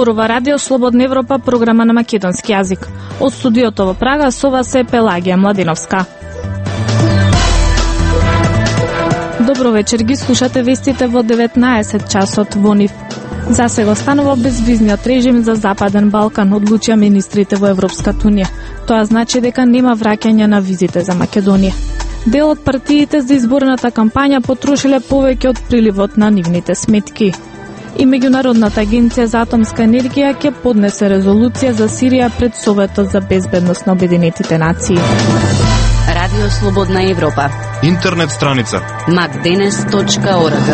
Зборува Радио Слободна Европа, програма на македонски јазик. Од студиото во Прага со вас е Пелагија Младиновска. Добро вечер, ги слушате вестите во 19 часот во НИФ. За сега останува безвизниот режим за Западен Балкан, одлучија министрите во Европската унија. Тоа значи дека нема враќање на визите за Македонија. Дел од партиите за изборната кампања потрошиле повеќе од приливот на нивните сметки. И Меѓународната агенција за атомска енергија ќе поднесе резолуција за Сирија пред Советот за безбедност на Обединетите нации. Радио Слободна Европа. Интернет страница macdenes.org.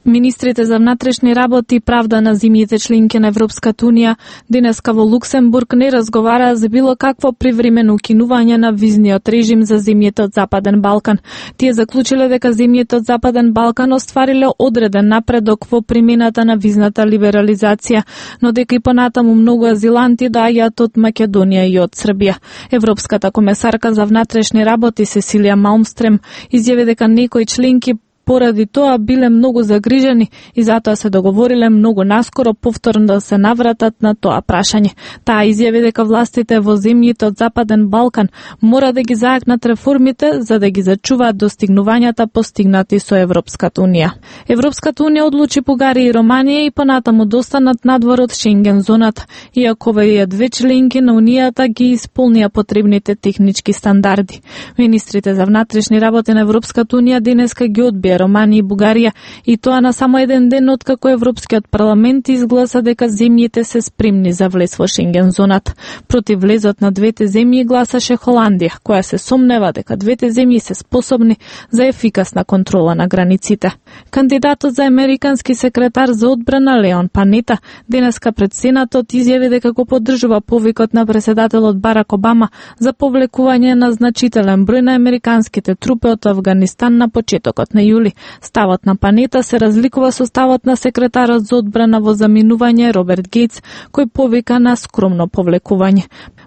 Министрите за внатрешни работи и правда на земјите членки на Европската унија денеска во Луксембург не разговараа за било какво привремено укинување на визниот режим за земјите од Западен Балкан. Тие заклучиле дека земјите од Западен Балкан оствариле одреден напредок во примената на визната либерализација, но дека и понатаму многу азиланти доаѓаат од Македонија и од Србија. Европската комесарка за внатрешни работи Сесилија Малмстрем изјави дека некои членки поради тоа биле многу загрижени и затоа се договориле многу наскоро повторно да се навратат на тоа прашање. Таа изјави дека властите во земјите од Западен Балкан мора да ги зајакнат реформите за да ги зачуваат достигнувањата постигнати со Европската унија. Европската унија одлучи Бугарија и Романија и понатаму достанат надвор од Шенген зоната, иако овие две членки на унијата ги исполнија потребните технички стандарди. Министрите за внатрешни работи на Европската унија денеска ги одбија Романија и Бугарија, и тоа на само еден ден откако Европскиот парламент изгласа дека земјите се спремни за влез во Шенген зоната. Против влезот на двете земји гласаше Холандија, која се сомнева дека двете земји се способни за ефикасна контрола на границите. Кандидатот за американски секретар за одбрана Леон Панета денеска пред Сенатот изјави дека го поддржува повикот на претседателот Барак Обама за повлекување на значителен број на американските трупи од Авганистан на почетокот на јули. Ставот на Панета се разликува со ставот на секретарот за одбрана во заминување Роберт Гейтс, кој повика на скромно повлекување.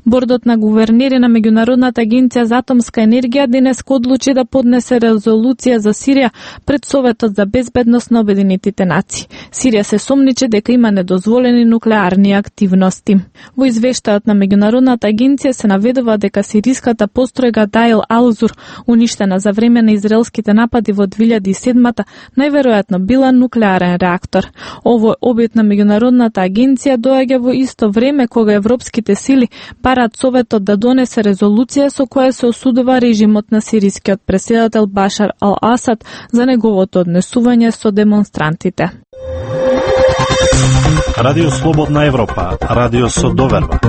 Бордот на гувернери на Меѓународната агенција за атомска енергија денеска одлучи да поднесе резолуција за Сирија пред Советот за безбедност на Обединетите нации. Сирија се сомниче дека има недозволени нуклеарни активности. Во извештајот на Меѓународната агенција се наведува дека сириската постројга Дайл Алзур, уништена за време на израелските напади во 2007-та, најверојатно била нуклеарен реактор. Овој обид на Меѓународната агенција доаѓа во исто време кога европските сили бараат Советот да донесе резолуција со која се осудува режимот на сирискиот претседател Башар ал-Асад за неговото однесување со демонстрантите. Радио Слободна Европа, радио со доверба.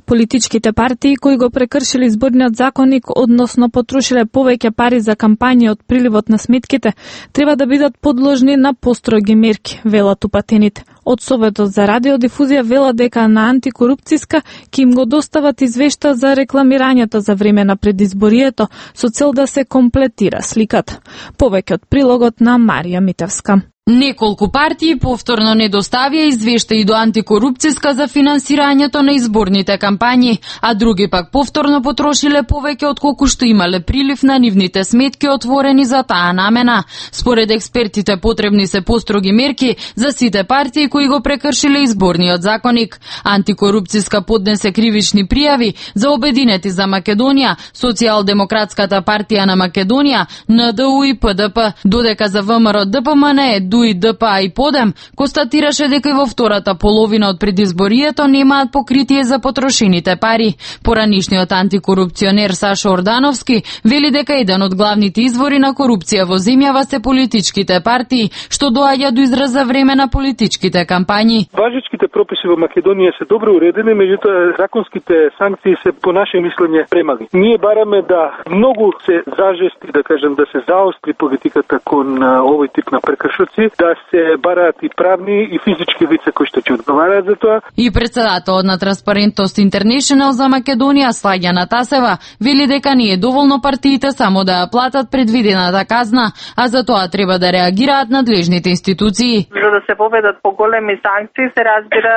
Политичките партии кои го прекршиле изборниот законник, односно потрошиле повеќе пари за кампања од приливот на сметките, треба да бидат подложни на построги мерки, велат упатените. Од Советот за радиодифузија велат дека на антикорупцијска ќе им го достават извешта за рекламирањето за време на предизборието со цел да се комплетира сликата. Повеќе од прилогот на Марија Митевска. Неколку партии повторно не доставија извештаи до антикорупцијска за финансирањето на изборните кампањи, а други пак повторно потрошиле повеќе од колку што имале прилив на нивните сметки отворени за таа намена. Според експертите потребни се построги мерки за сите партии кои го прекршиле изборниот законник. Антикорупцијска поднесе кривични пријави за Обединети за Македонија, Социјалдемократската партија на Македонија, НДУ и ПДП, додека за ВМРО ДПМН, ДУИ, ДПА и ПОДЕМ констатираше дека и во втората половина од предизборието немаат покритие за потрошените пари. Поранишниот антикорупционер Сашо Ордановски вели дека еден од главните извори на корупција во земјава се политичките партии, што доаѓа до израз за време на политичките кампањи. Важечките прописи во Македонија се добро уредени, меѓутоа законските санкции се по наше мислење премали. Ние бараме да многу се зажести, да кажем, да се заостри политиката кон овој тип на прекршоци, да се бараат и правни и физички лица кои што ќе одговараат за тоа. И претседателот на Транспарентност Интернешнл за Македонија Слагјана Тасева вели дека не е доволно партиите само да ја платат предвидената казна, а за тоа треба да реагираат надлежните институции. За да се поведат поголеми санкции се разбира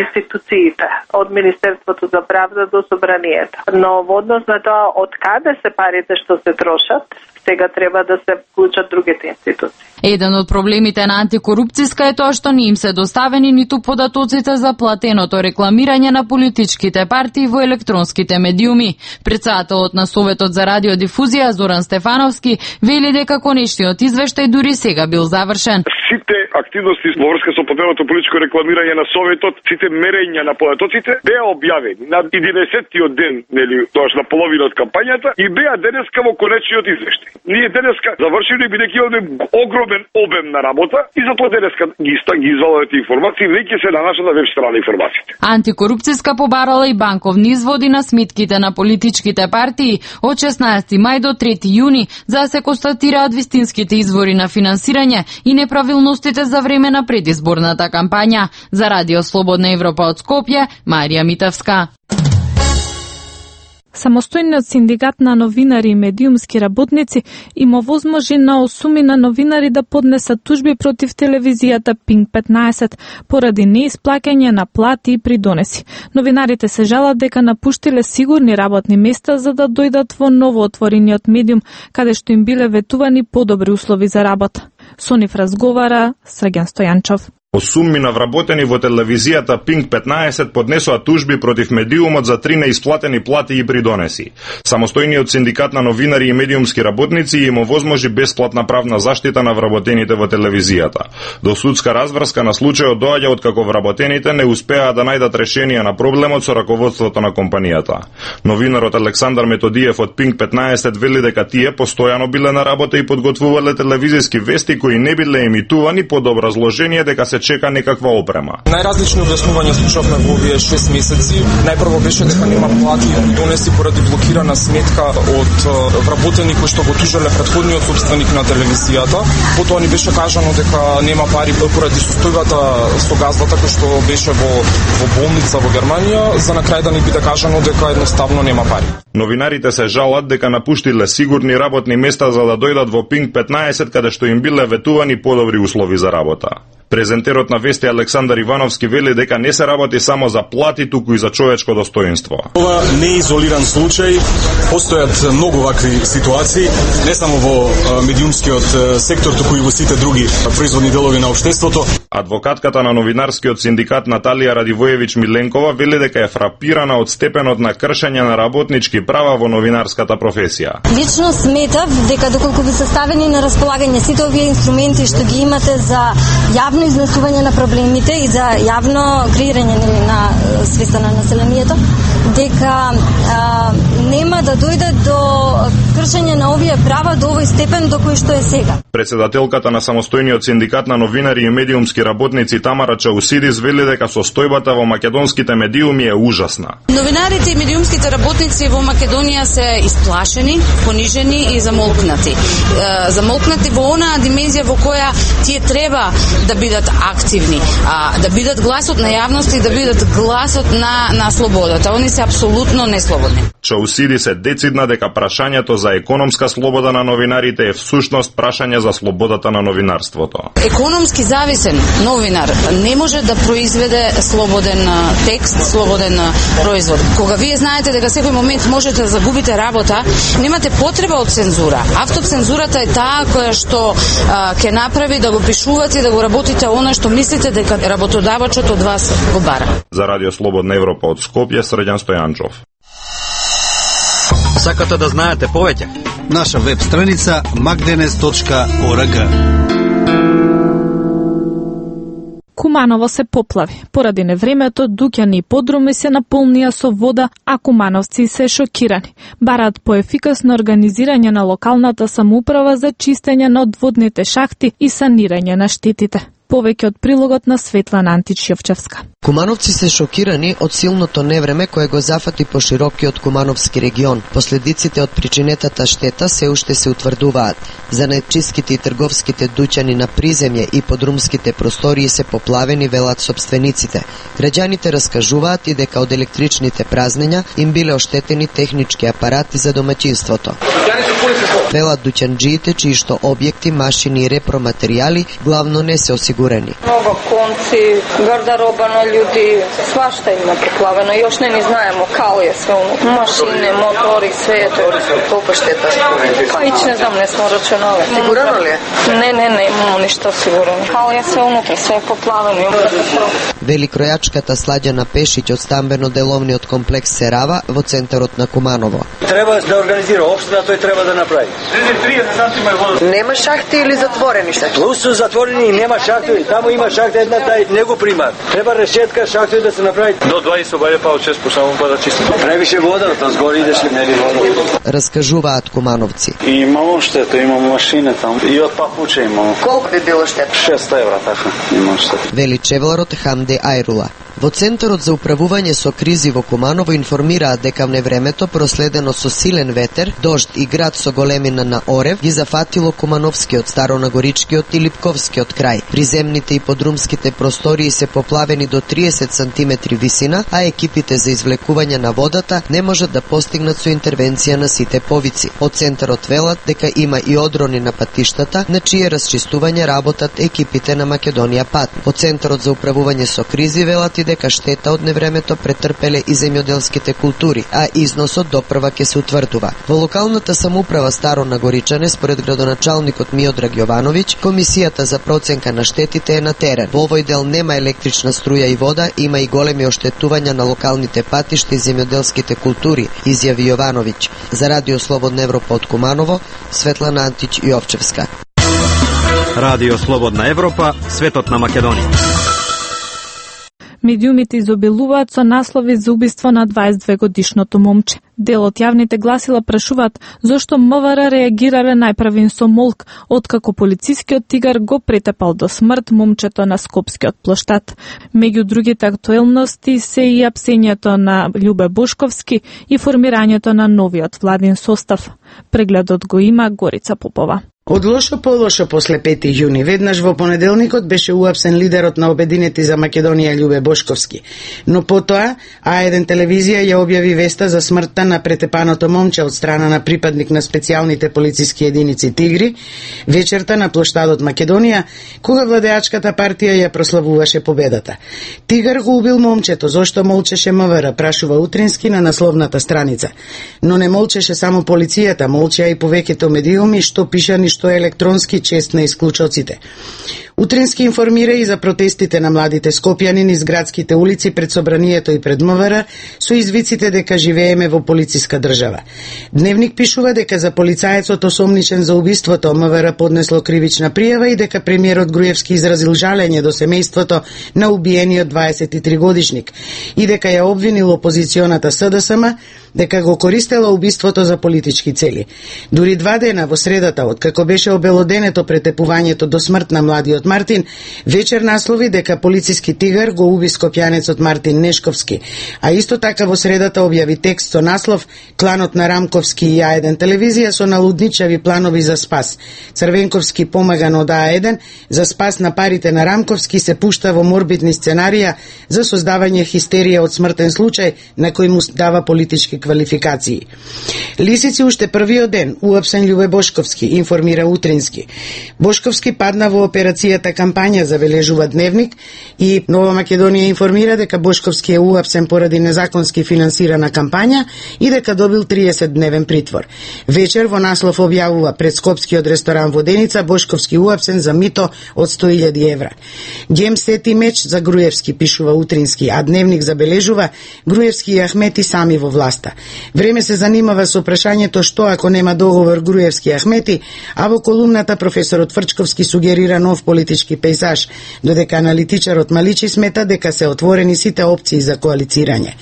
институциите, од Министерството за правда до Собранието. Но во однос на тоа од каде се парите што се трошат, сега треба да се вклучат другите институции. Еден од проблемите на антикорупцијска е тоа што не им се доставени ниту податоците за платеното рекламирање на политичките партии во електронските медиуми. Председателот на Советот за радиодифузија Зоран Стефановски вели дека конечниот извештај дури сега бил завршен. Сите активности во врска со платеното политичко рекламирање на Советот, сите мерења на податоците беа објавени на 11-тиот ден, тоаш на половина од кампањата, и беа денеска во конечниот извештај. Ние денеска завршиле бидејќи имаме огромен обем на работа и затоа денеска ги извадуваме информации, веќе се на нашата веб страна информациите. Антикорупцијска побарала и банковни изводи на сметките на политичките партии од 16 мај до 3 јуни за да се констатираат вистинските извори на финансирање и неправилностите за време на предизборната кампања. За Радио Слободна Европа од Скопје, Марија Митевска. Самостојниот синдикат на новинари и медиумски работници им овозможи на 8 новинари да поднесат тужби против телевизијата Пинк 15 поради неисплаќање на плати и придонеси. Новинарите се жалат дека напуштиле сигурни работни места за да дојдат во новоотворениот медиум, каде што им биле ветувани подобри услови за работа. Со нив разговара Срѓан Стојанчов. 8 вработени во телевизијата Пинк 15 поднесоа тужби против медиумот за 3 неисплатени плати и придонеси. Самостојниот синдикат на новинари и медиумски работници им овозможи бесплатна правна заштита на вработените во телевизијата. До судска разврска на случајот доаѓа откако вработените не успеа да најдат решение на проблемот со раководството на компанијата. Новинарот Александар Методиев од Пинк 15 вели дека тие постојано биле на работа и подготвувале телевизиски вести кои не биле емитувани под образложение дека се чека некаква опрема. Најразлични објаснувања слушавме во овие 6 месеци. Најпрво беше дека нема плати и придонеси поради блокирана сметка од вработени кои што го тужеле претходниот собственик на телевизијата. Потоа ни беше кажано дека нема пари поради состојбата со газдата кој што беше во болница во Германија, за на крај да ни биде кажано дека едноставно нема пари. Новинарите се жалат дека напуштиле сигурни работни места за да дојдат во Пинк 15 каде што им биле ветувани подобри услови за работа. Презентерот на вести Александар Ивановски вели дека не се работи само за плати, туку и за човечко достоинство. Ова не е изолиран случај, постојат многу вакви ситуации, не само во медиумскиот сектор, туку и во сите други производни делови на општеството. Адвокатката на новинарскиот синдикат Наталија Радивоевич Миленкова вели дека е фрапирана од степенот на кршење на работнички права во новинарската професија. Лично сметав дека доколку ви се ставени на располагање сите овие инструменти што ги имате за јавно изнесување на проблемите и за јавно креирање на свеста на населението, дека нема да дојде до кршење на овие права до овој степен до кој што е сега. Председателката на самостојниот синдикат на новинари и медиумски работници Тамара Чаусидис вели дека состојбата во македонските медиуми е ужасна. Новинарите и медиумските работници во Македонија се исплашени, понижени и замолкнати. Замолкнати во онаа димензија во која тие треба да бидат активни, да бидат гласот на јавност и да бидат гласот на слободата. Они се апсолутно неслободни. Чаусидис е децидна дека прашањето за економска слобода на новинарите е всушност прашање за слободата на новинарството. Економски зависен новинар не може да произведе слободен текст, слободен производ. Кога вие знаете дека секој момент можете да загубите работа, немате потреба од цензура. Автоцензурата е таа која што ќе направи да го пишувате и да го работите она што мислите дека работодавачот од вас го бара. За Радио Слободна Европа од Скопје, Срѓан Стојанчов. Сакате да знаете повеќе? Наша веб страница magdenes.org. Куманово се поплави. Поради невремето, дуќани и подруми се наполнија со вода, а кумановци се шокирани. Бараат поефикасно организирање на локалната самоуправа за чистење на одводните шахти и санирање на штетите. Повеќе од прилогот на Светлана Антич-Јовчевска. Кумановци се шокирани од силното невреме кое го зафати по широкиот Кумановски регион. Последиците од причинетата штета се уште се утврдуваат. Занаетчиските и трговските дуќани на приземје и подрумските простории се поплавени, велат сопствениците. Граѓаните раскажуваат и дека од електричните празнења им биле оштетени технички апарати за домаќинството. Велат дуќанџиите чии што објекти, машини и репроматеријали главно не се осигурени. Много конци, гардероба на људи, свашта има поплавено. Још не ни знаемо као е све, машине, мотори, све е тоа. Колку штета? Па ич не знам, не смо рачунали. Сигурно ли? Не, имamo ништо сигурно. Као е све унутре, све е поплавено. Вели кројачката Сладјана Пешиќ од стамбено-деловниот комплекс Серава во центарот на Куманово. Треба да организира општина, тој треба да направи. Нема шахти или затворени шахти? Плюс затворени и нема шахти, таму има шахта една, тај не го примат. Треба решетка шахти да се направи. До 20 обаѓа па од 6 по само па да чисти. Превише вода, тоа згори идеш ли нели вода. Раскажуваат кумановци. И имamo штета, имamo машина таму. И од папуче имamo. Колку би било штета? 600 евра, така, имamo штета. Вели чевларот Хамде Ајрула. Во Центарот за управување со кризи во Куманово информираат дека невремето проследено со силен ветер, дожд и град со големина на орев ги зафатило Кумановскиот, Старонагоричкиот и Липковскиот крај. Приземните и подрумските простории се поплавени до 30 сантиметри висина, а екипите за извлекување на водата не можат да постигнат со интервенција на сите повици. Од Центарот велат дека има и одрони на патиштата, на чие расчистување работат екипите на Македонија Пат. Од Центарот за управување со кризи велат и дека штета од невремето претрпеле и земјоделските култури, а износот допрва ќе се утврдува. Во локалната самоуправа Старо Нагоричане, според градоначалникот Миодраг Јовановиќ, комисијата за проценка на штетите е на терен. Во овој дел нема електрична струја и вода, има и големи оштетувања на локалните патишта и земјоделските култури, изјави Јовановиќ. За Радио Слободна Европа од Куманово, Светлана Антич Јовчевска. Радио Слободна Европа, светот на Македонија. Медиумите изобилуваат со наслови за убиство на 22-годишното момче. Дел од јавните гласила прашуваат зошто МВР реагирале најпрвин со молк, откако полицискиот тигар го претепал до смрт момчето на Скопскиот плоштад. Меѓу другите актуелности се и апсењето на Љубе Бошковски и формирањето на новиот владин состав. Прегледот го има Горица Попова. Од лошо по лошо после 5 јуни, веднаш во понеделникот беше уапсен лидерот на Обединети за Македонија Љубе Бошковски. Но потоа А1 телевизија ја објави веста за смртта на претепаното момче од страна на припадник на специјалните полициски единици Тигри, вечерта на плоштадот Македонија, кога владеачката партија ја прославуваше победата. Тигар го убил момчето, зошто молчеше МВР, прашува Утрински на насловната страница. Но не молчеше само полицијата, молчеа и повеќето медиуми што пишани што е електронски чест на исклучоците. Утрински информира и за протестите на младите скопјани низ градските улици пред собранието и пред МВР со извиците дека живееме во полициска држава. Дневник пишува дека за полицаецот осомничен за убиството МВР поднесло кривична пријава и дека премиерот Груевски изразил жалење до семејството на убиениот 23 годишник и дека ја обвинил опозиционата СДСМ дека го користела убиството за политички цели. Дури 2 дена во средата, откако беше обелоденето претепувањето до смрт на младиот Мартин, вечер наслови дека полициски тигар го уби скопјанецот Мартин Нешковски, а исто така во средата објави текст со наслов "Кланот на Рамковски и А1 телевизија со налудничави планови за спас. Црвенковски помаган од А1 за спас на парите на Рамковски се пушта во морбидни сценарија за создавање хистерија од смртен случај на кој му дава политички квалификации." Лисици уште првиот ден уапсен Љубе Бошковски, информира Утрински. Бошковски падна во операцијата кампања, забележува Дневник, и Нова Македонија информира дека Бошковски е уапсен поради незаконски финансирана кампања и дека добил 30-дневен притвор. Вечер во наслов објавува пред скопскиот ресторан Воденица Бошковски уапсен за мито од 100.000 евра. Гем сети меч за Груевски, пишува Утрински, а Дневник забележува Груевски и Ахмети сами во власта. Време се занимава со прашањето што ако нема договор Груевски Ахмети, а во колумната професорот Фрчковски сугерира нов политички пейзаж, додека аналитичарот Маличи смета дека се отворени сите опции за коалицирање.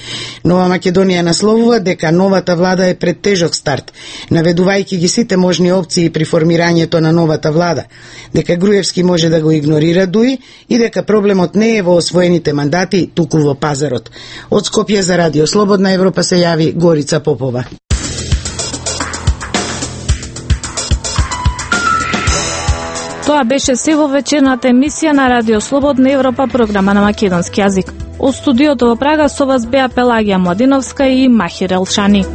Нова Македонија насловува дека новата влада е пред тежок старт, наведувајќи ги сите можни опции при формирањето на новата влада, дека Груевски може да го игнорира дуи и дека проблемот не е во освоените мандати, туку во пазарот. Од Скопје за Радио Слободна Европа се јави Горица Попова. Тоа беше се во вечерната емисија на Радио Слободна Европа, програма на македонски јазик. Од студиото во Прага со вас беа Пелагија Младиновска и Махир Елшани.